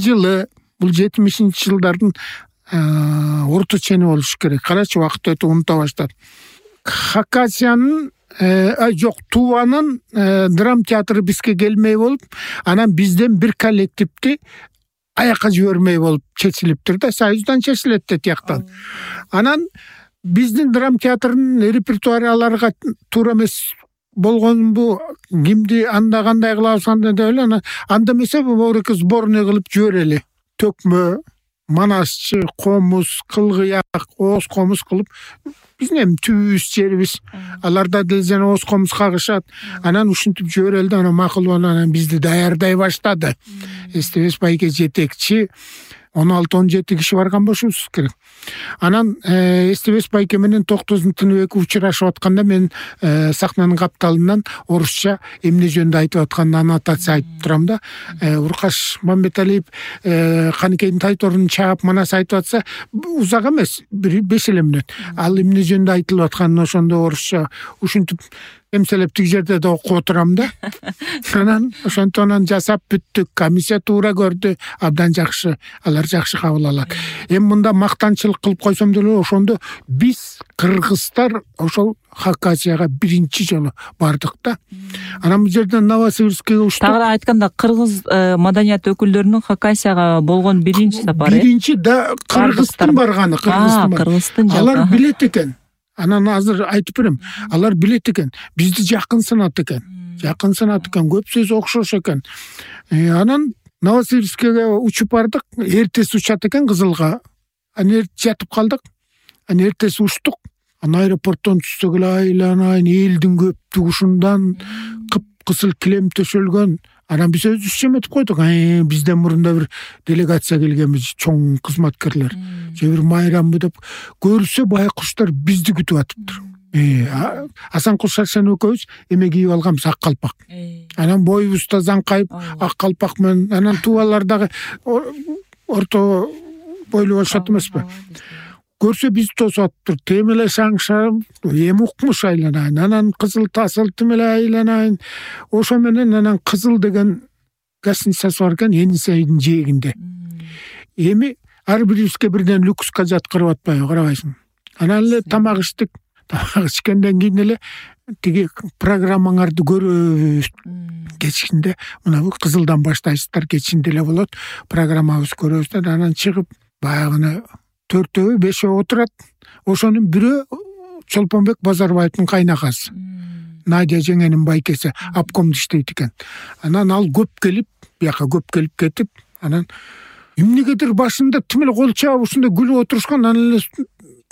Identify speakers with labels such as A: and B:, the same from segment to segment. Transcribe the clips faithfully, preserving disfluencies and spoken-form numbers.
A: жылы, бул жетимишинчи жылдардын орто чени болуш керек. Карачы, убакыт өтүп унута баштадым. Хакасиянын жок, Туванын драм театры бизге келмей болуп, анан бизден бир коллективди аякка жибермей болуп чечилиптир да, Союздан чечилет да тияктан. Анан биздин драм театрынын репертуарларга туура эмес болгонбу, кимди анда кандай кылабыз анда деп эле, анан анда эмесе бобуреке сборный кылып жиберели. Төкмө, манасчы, комуз, кылгыяк, ооз комуз кылып, биздин эми түбүбүз жерибиз. Аларда деле жана ооз комуз кагышат. Анан ушинтип жиберели да, анан макул болуп анан бизди даярдай баштады. Эстебес байке жетекчи, он алты он жети киши барган болушубуз керек. Анан Эстебес байке менен Токтоздун Тыныбеки учурашып атканда мен сахнанын капталынан орусча эмне жөнүндө айтып атканын аннотация айтып турам да. Уркаш Мамбеталиев Каныкейдин Тайторунун чаап манас айтып атса, узак эмес, бир беш эле мүнөт. Ал эмне жөнүндө айтылып атканын ошондо орусча ушинтип эмселеп тиг жерде да окуп отурам да. Анан ошонтон жасап бүттүк. Комиссия туура көрдү, абдан жакшы, алар жакшы кабыл алат. Эми мында мактанчылык кылып койсом деле, ошондо биз кыргыздар ошол Хакасияга биринчи жолу бардык да. Анан бул жерден Новосибирскке учтук.
B: Тагыраак айтканда, кыргыз маданият өкүлдөрүнүн Хакасияга болгон биринчи сапары.
A: Биринчи да кыргыздын барганы, кыргыздын. Алар билет экен. Анан азыр айтып берем, алар билет экен, бизди жакын сынат экен. Жакын сынат экен, көп сөз окшош экен. Анан Новосибирскке учуп бардык, эртеси учат экен Кызылга. Анан жатып калдык. Анан эртеси учтук. Анан аэропорттон түшсөк эле айланайын, элдин көптүгүшүндан кып-кызыл килем төшөлгөн. Анан биз өзүбүз эметип койдук. Бизден мурунда бир делегация келгенбиз, чоң кызматкерлер. Же бир майрамбы деп көрсө байкуштар бизди күтүп атыптыр. Асанкул Шаршан экөөбүз эме кийип алганбыз, ак калпак. Анан боюбуз да заңкайып, ак калпак менен, анан тубалар дагы орто бойлуу болушат эмеспи? Көрсө биз тосуп атыптыр. Темеле шаңшам, эми укмуш айланайын. Анан кызыл тасыл темеле айланайын. Ошо менен анан кызыл деген гостиницасы бар экен, Енисейдин жээгинде. Эми ар бирибизге бирден люкска жаткырып атпайбы, карабайсың. Анан эле тамак иштик. Тамак ичкенден кийин эле тиги программаңарды көрөбүз. Кечинде мына бул кызылдан баштайсыздар, кечинде эле болот. Программабыз көрөбүз да, анан чыгып баягы төртөө бешөө отурат. Ошонун бирөө Чолпонбек Базарбаевдин кайнакасы. Надя жеңенин байкеси, обкомдо иштейт экен. Анан ал көп келип, бияка көп келип кетип, анан эмнегедир башында тим эле кол чаап ушундай күлүп отурушкан, анан эле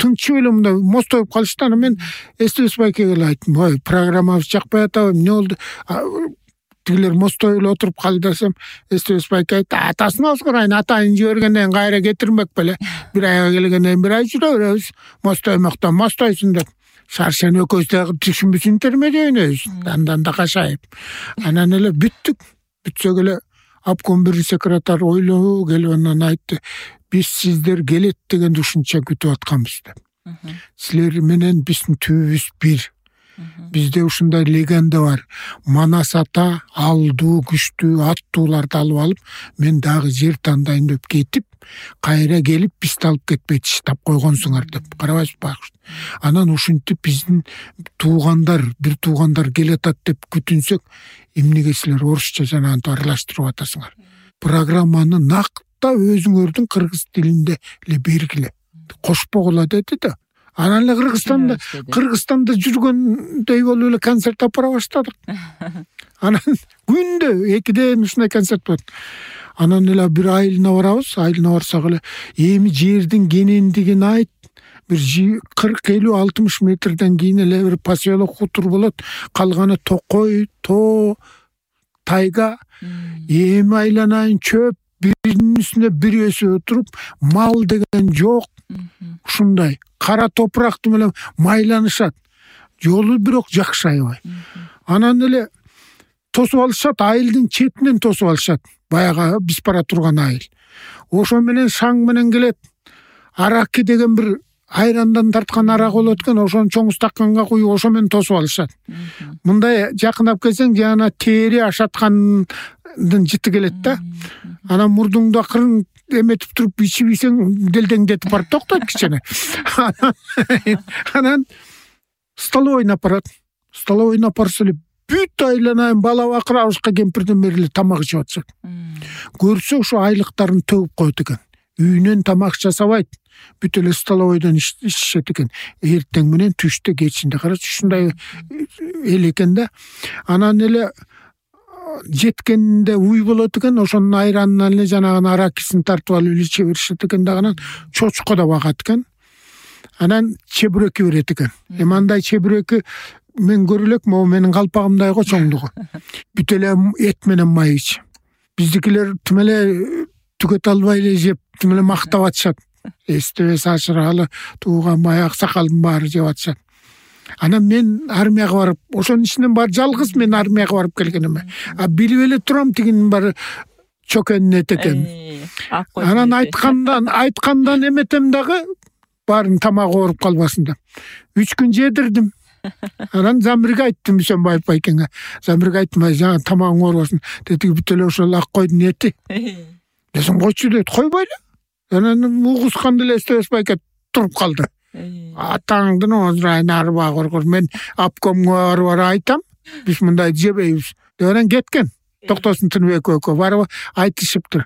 A: тынчып эле мындай мостоюп калышты. Анан мен Эстебес байкеге эле айттым: "Ой, программабыз жакпай атабы, эмне болду?" Тигилер мостоюп эле отуруп калды десем, Эстебес байке айтты: "Атасын озгурайын, атайын жибергенден кайра кетирмек беле. Бир айга келгенден бир ай жүрө беребиз. Мостоймоктон мостойсун" деп. Шаршан экөөбүз дагы түшүнбүсүнтөрмө дейбиз. Андан да кашайып. Анан эле бүттүк. Бүтсөк эле обком бир секретарь ойлоо келип анан айтты: "Биз сиздер келет дегенди ушунча күтүп атканбыз" деп. "Силер менен биздин түбүбүз бир. Бизде ушундай легенда бар. Манас ата алдуу, күчтүү аттууларды алып алып, мен дагы жер тандайын деп кетип, кайра келип бизди алып кетпей тиштап койгонсуңар" деп. Карабайсызбы байкуш? Анан ушинтип биздин туугандар, бир туугандар келатат деп күтүнсөк, эмнеге силер орусча жана антип аралаштырып атасыңар? Программаны накта өзүңөрдүн кыргыз тилинде эле бергиле. Кошпогула деди да. Анан эле Кыргызстанда, Кыргызстанда жүргөндөй болуп эле концерт апара баштадык. Анан күндө экиден ушундай концерт болот. Анан эле бир айылына барабыз, айылына барсак эле эми жердин кенендигин айт. Бир кырк элүү алтымыш метрден кийин эле бир поселок хутур болот. Калганы токой, тоо, тайга. Эми айланайын чөп, биринин үстүнө бири өсүп отуруп, мал деген жок. Ушундай кара топуракты менен майланышат. Жолу бирок жакшы аябай. Анан эле тосуп алышат, айылдын четинен тосуп алышат. Баягы биз бара турган айыл. Ошо менен шаң менен келет. Араки деген бир айрандан тарткан арак болот экен, ошону чоң стаканга куюп ошо менен тосуп алышат. Мындай жакындап келсең, жана тери ашаткан жыты келет да. Анан мурдуңду акырын эметип туруп ичип ийсең делдеңдетип барып токтойт кичине. Анан столовойуна апарат. Столовойуна апарса эле бүт айланайын бала бакырабызга кемпирден бери эле тамак ичип атышат. Көрсө ошо айлыктарын төгүп коет экен. Үйүнөн тамак жасабайт. Бүт эле столовойдон ичишет экен. Эртең менен түштө кечинде карачы ушундай эл экен да. Анан эле жеткенде уй болот экен, ошонун айранынан эле жанагы аракисин тартып алып иче беришет экен да. Анан чочко да багат экен. Анан чебүрөккө берет экен. Эми андай чебүрөккө мен көрө элек, могу менин калпагымдай го чоңдугу. Бүт эле эт менен май ич. Биздикилер тим эле түгөт албай эле жеп, тим эле мактап атышат. Эстебес ашыралы тууган май аксакалдын баары жеп атышат. Анан мен армияга барып, ошонун ичинен бар жалгыз мен армияга барып келгеним. А билип эле турам тигинин баары чөкөнүн эт экен. Анан айткандан айткандан эметем дагы баарын тамагы ооруп калбасын деп. Үч күн жедирдим. Анан Замирге айттым, Бисенбаев байкеңе. Замирге айттым, жана тамагың оорубасын. Деди бүт эле ошол ак койдун эти. Десем койчу дейт, койбойлу. Анан угусканда эле Эстебес байке туруп калды. Атаңдын озурайын арба коркор. Мен обкомго барып айтам, биз мындай жебейбиз. Деп анан кеткен. Токтосун Тыныбек экөө барып айтышыптыр.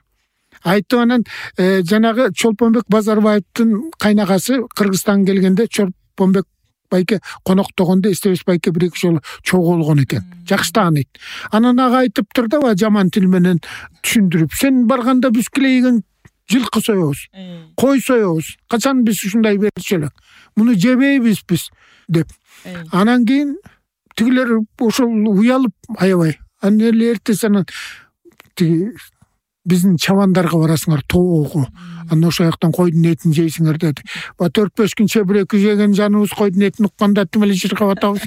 A: Айтты. Анан жанагы Чолпонбек Базарбаевдин кайнагасы Кыргызстанга келгенде Чолпонбек байке коноктогондо Эстебес байке бир эки жолу чогулгон экен. Жакшы тааныйт. Анан ага айтыптыр да, жаман тил менен түшүндүрүп, сен барганда биз килейген жылкы соебуз, кой соебуз. Качан биз ушундай берчү элек? Муну жебейбиз биз деп. Анан кийин тигилер ошол уялып аябай. Анан эле эртеси анан тиги биздин чабандарга барасыңар тоого. Анан ошол жактан койдун этин жейсиңер деди. Ба төрт беш күн чебүрөккө жеген жаныбыз койдун этин укканда тим эле жыргап атабыз.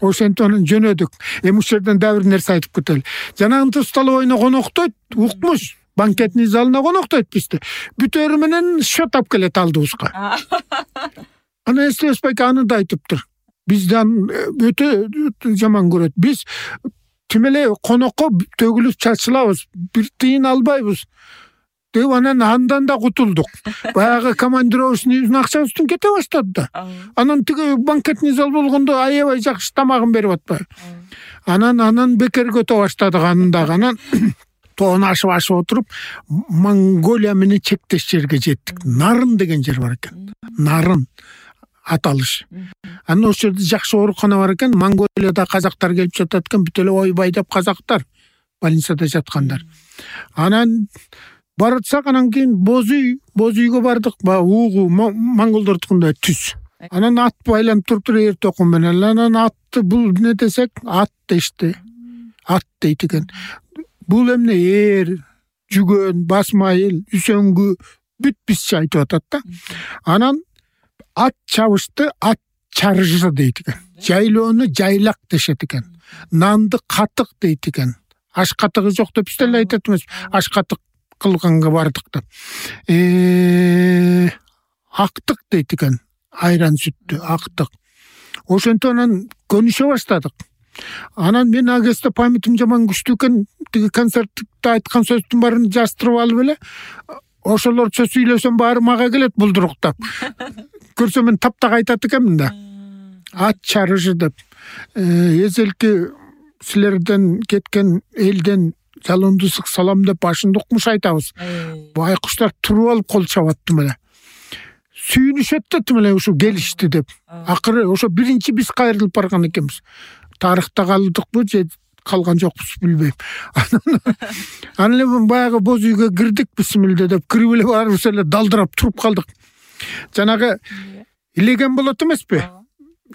A: Ошентип анан жөнөдүк. Эми ушул жерден дагы бир нерсе айтып кетели. Жанагы столовойуна коноктойт, укмуш. Банкетный залына коноктойт бизди. Бүтөрү менен счет алып келет алдыбызга. Анан Эстебес байке аны да айтыптыр. Бизден өтө жаман көрөт. Биз тим эле конокко төгүлүп чачылабыз, бир тыйын албайбыз. Деп анан андан да кутулдук. Баягы командировочныйдын акчабыздан кете баштады да. Анан тиги банкетный зал болгондо аябай жакшы тамагын берип атпайбы. Анан анан бекер көтө баштадык анын дагы. Анан тоон ашып ашып отуруп Монголия менен чектеш жерге жеттик. Нарын деген жер бар экен. Нарын аталыш. Анан ошол жерде жакшы оорукана бар экен. Монголияда казактар келип жатат экен, бүт эле ойбай деп казактар больницада жаткандар. Анан баратсак, анан кийин боз үй, боз үйгө бардык. Ба угу монголдордукундай түз. Анан ат байланып туруптур эр токум менен. Анан атты бул не десек, ат дешти. Ат дейт экен. Бул эмне эр, жүгөн, басмайыл, үсөңгү бүт бизче айтып атат да. Анан ат чабышты, ат чарыжы дейт экен. Жайлоону жайлак дешет экен. Нанды катык дейт экен. Аш катыгы жок деп биз деле айтат эмес. Аш катык кылганга бардык деп. Э актык дейт экен. Айран сүттү, актык. Ошентип анан көнүшө баштадык. Анан мен агесте памятим жаман күчтүү экен. Тиги концертте айткан сөздүн баарын жаздырып алып эле, ошолорчо сүйлөсөм баары мага келет булдуруктап. Көрсөм мен таптак айтат экенмин да. Ат чарыжы деп. Эзелки силерден кеткен элден жалондусук салам деп башында укмуш айтабыз. Байкуштар туруп алып кол чабат тим эле. Сүйүнүшөт да тим эле ушу келишти деп. Акыры ошо биринчи биз кайрылып барган экенбиз. Тарыхта калдыкпы же калган жокпуз билбейм. Анан эле баягы боз үйгө кирдик, бисмилде деп кирип эле барыбыз эле далдырап туруп калдык. Жанагы илеген болот эмеспи?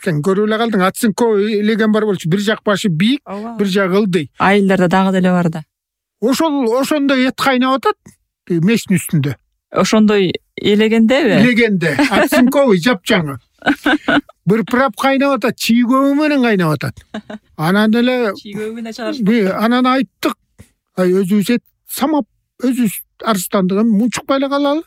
A: Сен көрүп эле калдың, Ацинко илеген бар болчу. Бир жак башы бийик, бир жагы ылдый.
B: Айылдарда дагы деле бар да.
A: Ошол ошондой эт кайнап атат мештин үстүндө.
B: Ошондой элегендеби?
A: Элегенде. Ацинковый жапжаңы. Бир прап кайнап атат, чийгөө менен кайнап атат. Анан эле
B: чийгөөүнө чыгарышты.
A: Анан айттык. Ай өзүбүз эт самап, өзүбүз арыстандык, мунчукпай эле калалы.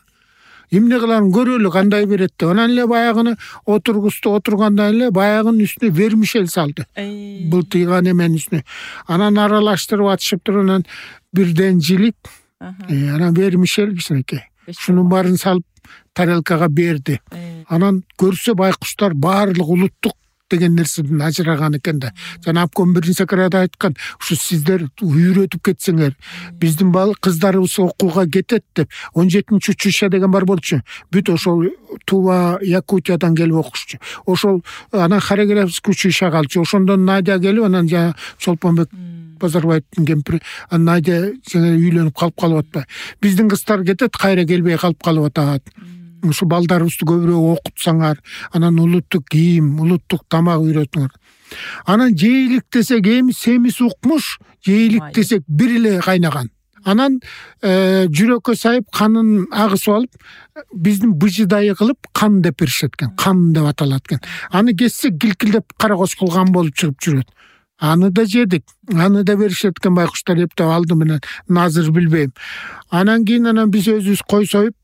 A: эмне кыларын көрөлү кандай берет деп. Анан эле баягыны отургузду, отургандан эле баягынын үстүнө вермишель салды. Былтыйган эменин үстүнө. Анан аралаштырып атышып туруп анан бирден жилип, анан вермишель кичинекей. Шунун баарын салып тарелкага берди. Анан көрсө байкуштар баардык улуттук деген нерседен ажыраган экен да. Жана обком биринчи секретарь айткан, ушу сиздер үйрөтүп кетсеңер, биздин бала кыздарыбыз окууга кетет деп. он жетинчи училище деген бар болчу. Бүт ошол Тува, Якутиядан келип окушчу. Ошол анан хореографический училище калчу. Ошондон Надя келип, анан жана Чолпонбек Базарбаевдин кемпири, Надя жана үйлөнүп калып калып атпайбы. Биздин кыздар кетет, кайра келбей калып калып атат. Ушу балдарыбызды көбүрөөк окутсаңар, анан улуттук кийим, улуттук тамак үйрөтүңөр. Анан жээлик десек эми семиз укмуш, жээлик десек бир эле кайнаган. Анан жүрөккө сайып канын агысып алып, биздин быжыдайы кылып кан деп беришет экен, кан деп аталат экен. Аны кессек килкилдеп кара кошкул кан болуп чыгып жүрөт. Аны да жедик, аны да беришет экен байкуштар эптеп алды менен, азыр билбейм. Анан кийин анан биз өзүбүз кой союп,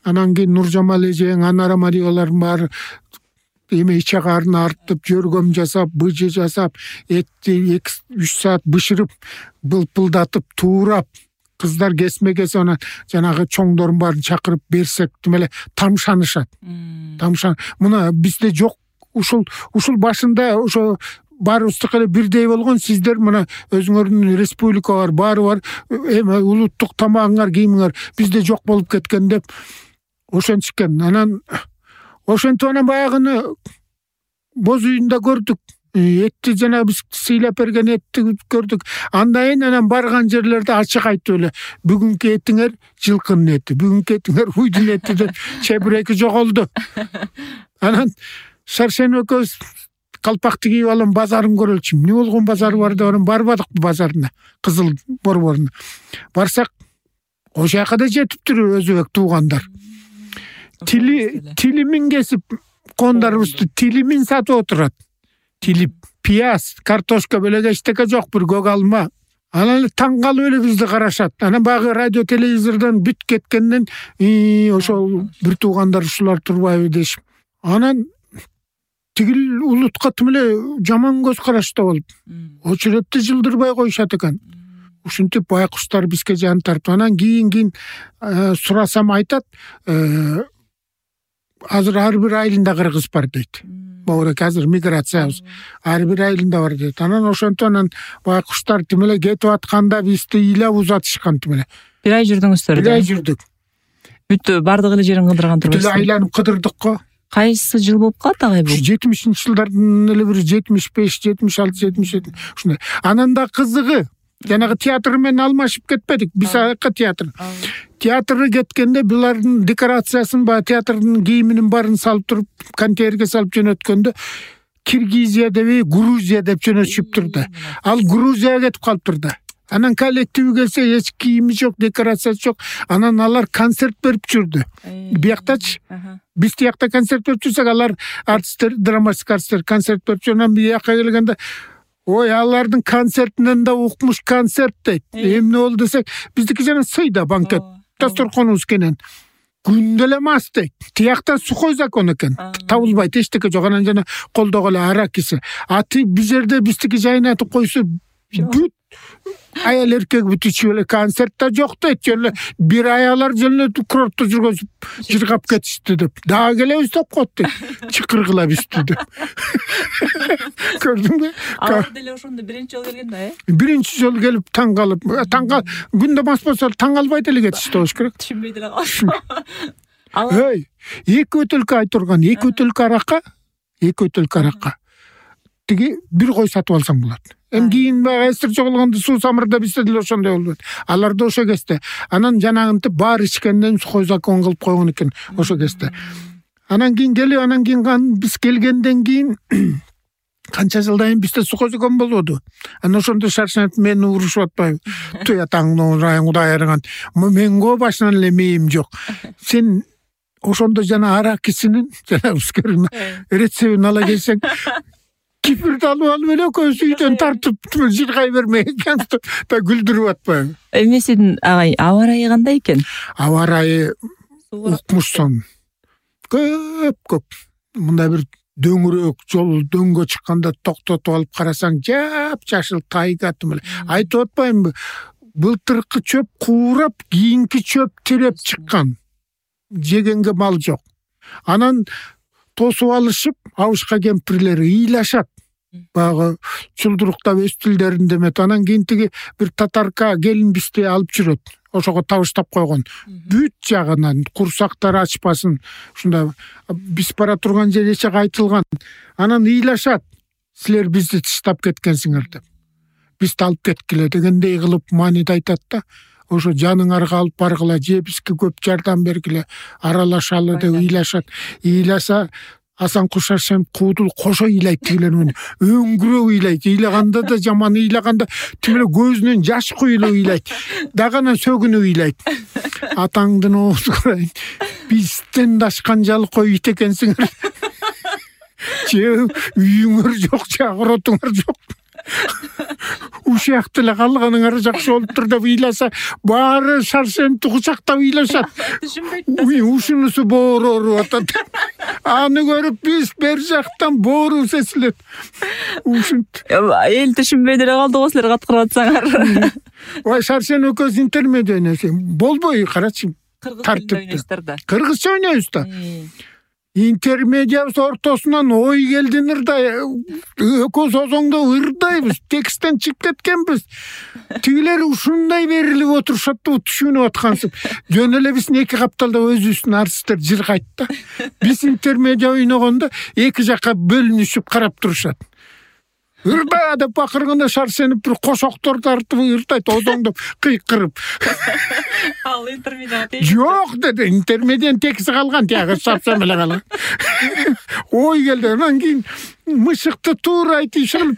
A: анан кийин Нуржамал эжең, Анара Мариялардын баары эме ичагарын артып, жөргөм жасап, быжы жасап, этти эки үч саат бышырып, былпылдатып, туурап, кыздар кесме-кесе анан жанагы чоңдордун баарын чакырып берсек, демеле тамшанышат. Тамшан. Мына бизде жок. Ушул ушул башында ошо баарыбыздыкы эле бирдей болгон, сиздер мына өзүңөрдүн республика бар, баары бар, эме улуттук тамагыңар, кийимиңер бизде жок болуп кеткен деп ошентишкен. Анан ошентип анан баягыны боз үйүндө көрдүк. Этти жана биз сыйлап берген этти көрдүк. Андан кийин анан барган жерлерде ачык айтып эле, бүгүнкү этиңер жылкынын эти, бүгүнкү этиңер уйдун эти деп чебиреки жоголду. Анан Шаршен экөөбүз калпакты кийип алып базарын көрөлчү. Эмне болгон базары бар деп анан барбадык базарына, Кызыл борборуна. Барсак, ошол жака да жетиптир өзбек туугандар. Тили тилимин кесип, кондарыбызды тилимин сатып отурат. Тилип, пияз, картошка белеге эчтеке жок, бир көк алма. Анан таң калып эле бизди карашат. Анан багы радио телевизордон бүт кеткенден, ошол бир туугандар ушулар турбайбы дешип. Анан тигил улутка тим эле жаман көз карашта болуп, очередти жылдырбай коюшат экен. Ушинтип байкуштар бизге жан тартып, анан кийин кийин сурасам айтат, азыр ар бир айылында кыргыз бар дейт. Баурек азыр миграциябыз ар бир айылында бар дейт. Анан ошентип анан байкуштар тим эле кетип атканда бизди ыйлап узатышкан тим эле.
B: Бир ай жүрдүңүздөр.
A: Бир ай жүрдүк.
B: Бүт бардык эле жерин кыдырган турбайсызбы?
A: Бүт айланып кыдырдык го.
B: Кайсы жыл болуп калат агай бул?
A: жетимишинчи жылдардын эле бир жетимиш беш, жетимиш алты, жетимиш жети ушундай. Анан да кызыгы, жанагы театр менен алмашып кетпедик. Биз аяка театр. Театрга кеткенде булардын декорациясын, баягы театрдын кийиминин баарын салып туруп, контейнерге салып жөнөткөндө Киргизия деп, Грузия деп жөнөтүшүп турду. Ал Грузияга кетип калыптыр да. Анан коллективи келсе эч кийими жок, декорациясы жок. Анан алар концерт берип жүрдү. Бияктачы. Биз тиякта концерт берип жүрсөк, алар артисттер, драматик артисттер концерт берип жүрүп, анан бияка келгенде, ой, алардын концертинен да укмуш концерт дейт. Эмне болду десек, биздики жана сыйда банкет, дасторконубуз кенен. Күндө эле мас дейт. Тиякта сухой закон экен. Табылбайт, эчтеке жок. Анан жана колдогу эле аракиси. А ти бул жерде биздики жайнатып койсо, бүт аял эркек бүт ичип эле концерт да жок дейт. Жөн бир аялар жөн эле курортто жүргөзүп жыргап кетишти деп. Дагы келебиз деп коет дейт. Чыкыргыла бизди деп. Көрдүңбү?
B: Алар деле ошондо биринчи жолу келген да, э?
A: Биринчи жолу келип таң калып, таң кал, күндө мас болсо таң калбай деле кетишти болуш керек.
B: Түшүнбөй деле калышты.
A: Эй, эки бөтөлкө айтырган, эки бөтөлкө аракка, эки бөтөлкө аракка. Тиги бир кой сатып алсаң болот. Эми кийин баягы эстер жоголгондо суу самырда бизде деле ошондой болду. Алар да ошо кезде. Анан жанагынтип баары ичкенден сухой закон кылып койгон экен ошо кезде. Анан кийин келип, анан кийин биз келгенден кийин канча жылдан кийин бизде сухой закон болбоду. Анан ошондо Шаршенов мени урушуп атпайбы? Туятаңды урайын Кудай айырган. Мен го башынан эле мээм жок. Сен ошондо жана аракисинин, жана ускерин рецептин ала келсең, кипирди алып алып эле экөөбүз үйдөн тартып жыргай бермей экен да күлдүрүп атпайбы?
B: Эмесин агай, аба ырайы кандай экен?
A: Аба ырайы укмушсуң. Көп көп мындай бир дөңүрөөк жол дөңгө чыкканда токтотуп алып карасаң жап-жашыл тайга эле. Айтып атпаймынбы? Былтыркы чөп куурап, кийинки чөп тиреп чыккан. Жегенге мал жок. Анан тосуп алышып, абышка кемпирлер ыйлашат. Багы чулдуруктап өстүлдөрүндө эмет. Анан кийин тиги бир татарка келин бизди алып жүрөт. Ошого табыштап койгон. Бүт жагынан курсактары ачпасын. Ушундай биз бара турган жер эче айтылган. Анан ыйлашат. Силер бизди таштап кеткенсиңер деп. Бизди алып кеткиле дегендей кылып маанид айтат да. Ошо жаныңарга алып баргыла, же бизге көп жардам бергиле, аралашалы деп ыйлашат. Ыйласа Асан Кушашев куудул кошо ыйлайт тигилер менен. Өңгүрөп ыйлайт. Ыйлаганда да жаман, ыйлаганда тимеле көзүнөн жаш куюлуп ыйлайт. Дагана сөгүнүп ыйлайт. Атаңдын оозу бизден дашкан жалкой ит экенсиңер. Же үйүңөр жок, чагыротуңар жок. Ушак деле калганыңар жакшы болуптур деп ыйласа, баары Шаршеновду кучактап ыйлашат. Ушунусу боору ооруп атат. Аны көрүп биз бер жактан боору сезилет. Ушинт.
B: Эл түшүнбөй деле калды го силер каткырып атсаңар.
A: Ой, Шаршенов экөөбүз интермедия ойносок. Болбой, карачы.
B: Тартипте.
A: Кыргызча ойнойбуз да. Интермедиябыз ортосунан ой келдинир да, экөөбүз озоңдо ырдайбыз, тексттен чыгып кеткенбиз. Тигилер ушундай берилип отурушат да, түшүнүп аткансып. Жөн эле биздин эки капталда өзүбүздүн артисттер жыргайт да. Биз интермедия ойногондо эки жакка бөлүнүшүп карап турушат. Ырда деп бакырганда Шаршенов бир кошоктор тартып ырдайт, озоңдоп кыйкырып.
B: Ал интермедия
A: Жок деди, интермедиянын текси калган, тияга сапсам эле калган. Ой келди, анан кийин мышыкты туура айтышып.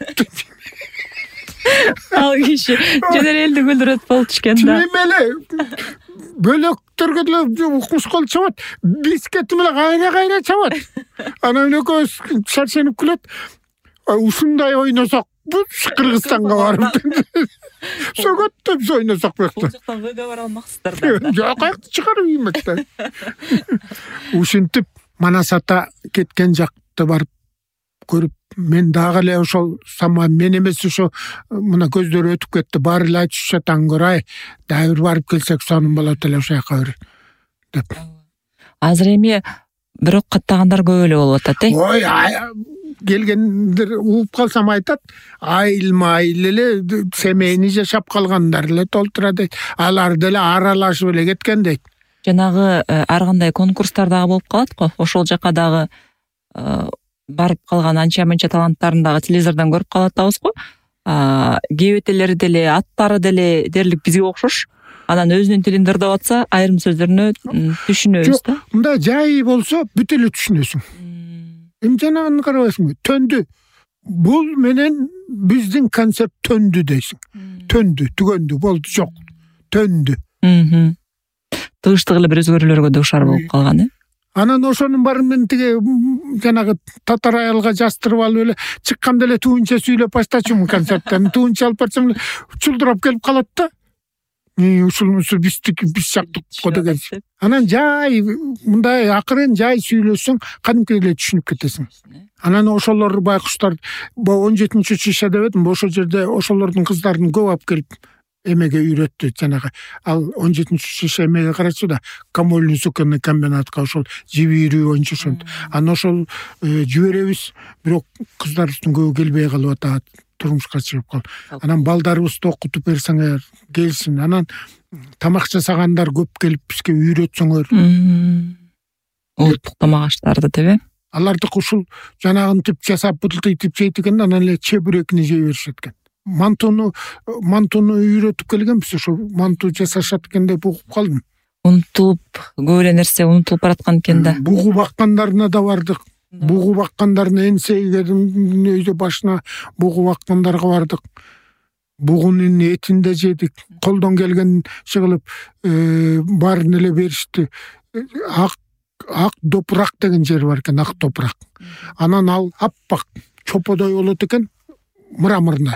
B: Ал киши жөн эле элди күлдүрөт болчу экен да.
A: Тим эле бөлөктөргө деле укмуш кол чабат, бизге тим эле кайра-кайра чабат. Анан экөөбүз Шаршенов күлөт. Ушундай ойносок, бүт Кыргызстанга барып сөгөт деп ойносок
B: Бул жактан выга бара алмаксыздар
A: да. Жок, аякты чыгарып иймек да. Ушинтип Манас ата кеткен жакты барып көрүп, мен дагы эле ошол сама мен эмес ошо мына көздөр өтүп кетти, баары эле айтышат аңгырай, дагы бир барып келсек сонун болот эле ошол жака бир деп.
B: Азыр эми бирок каттагандар көп эле болуп атат, э?
A: Ой, келгендер угуп калсам айтат, айыл-майыл эле семейни жашап калгандар эле толтура дейт. Алар деле аралашып эле кеткен дейт.
B: Жанагы ар кандай конкурстар дагы болуп калат го. Ошол жака дагы барып калган анча-мынча таланттарын дагы телевизордон көрүп калып атабыз го. Кебетелери деле, аттары деле дерлик бизге окшош. Анан өзүнүн тилинде ырдап атса, айрым сөздөрүнө түшүнөбүз да.
A: Мындай жай болсо бүт эле түшүнөсүң. Эми жанагын карабайсыңбы? Төндү. Бул менен биздин концерт төндү дейсиң. Төндү, түгөндү, болду, жок. Төндү.
B: Тыгыштык эле бир өзгөрүүлөргө дуушар болуп калган, э?
A: Анан ошонун баарын мен тиги жанагы татар аялга жастырып алып эле чыкканда эле туунча сүйлөп баштачумун концерттен. Туунча алып барсам чулдурап келип калат да. Ушунусу биздики биз жактыкко деген. Анан жай мындай акырын жай сүйлөсөң, кадимки эле түшүнүп кетесиң. Анан ошолор байкуштар он жетинчи шиша дебедим, ошол жерде ошолордун кыздарын көп алып келип эмеге үйрөттү жанагы. Ал он жетинчи шиша эмеге карачы да, Камольный суконный комбинатка ошол жибирүү боюнча ошентип. Анан ошол жиберебиз, бирок кыздарыбыздын көбү келбей калып атат. Турмушка чыгып кал. Анан балдарыбызды окутуп берсеңер келсин. Анан тамак жасагандар көп келип бизге үйрөтсөңөр.
B: Улуттук тамак аштарды деп, э?
A: Алардык ушул жанагын тип жасап бутултуп жейт экен, анан эле чебурекни жей беришет экен. Мантуну мантуну үйрөтүп келгенбиз, ошо манту жасашат экен деп угуп калдым.
B: Унутулуп, көп эле нерсе унутулуп бараткан экен да.
A: Бугу баккандарына да бардык. Бугу баккандардын энсегерин өйдө башына бугу баккандарга бардык. Бугунун этин да жедик. Колдон келген чыгылып, баарын эле беришти. Ак ак топурак деген жер бар экен, ак топурак. Анан ал аппак чоподой болот экен, мраморный.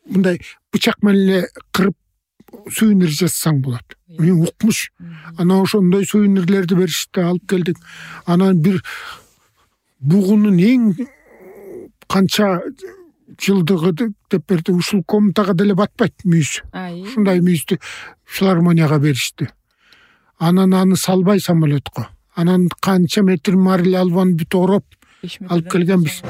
A: Мындай бычак менен эле кырып сувенир жасасаң болот. Мен укмуш. Анан ошондой сувенирлерди беришти, алып келдик. Анан бир бугунун эң канча жылдыгы деп берди. Ушул комнатага деле батпайт мүйүз. Ушундай мүйүздү филармонияга беришти. Анан аны салбай самолетко. Анан канча метр мариль албаны бүт ороп алып келгенбиз.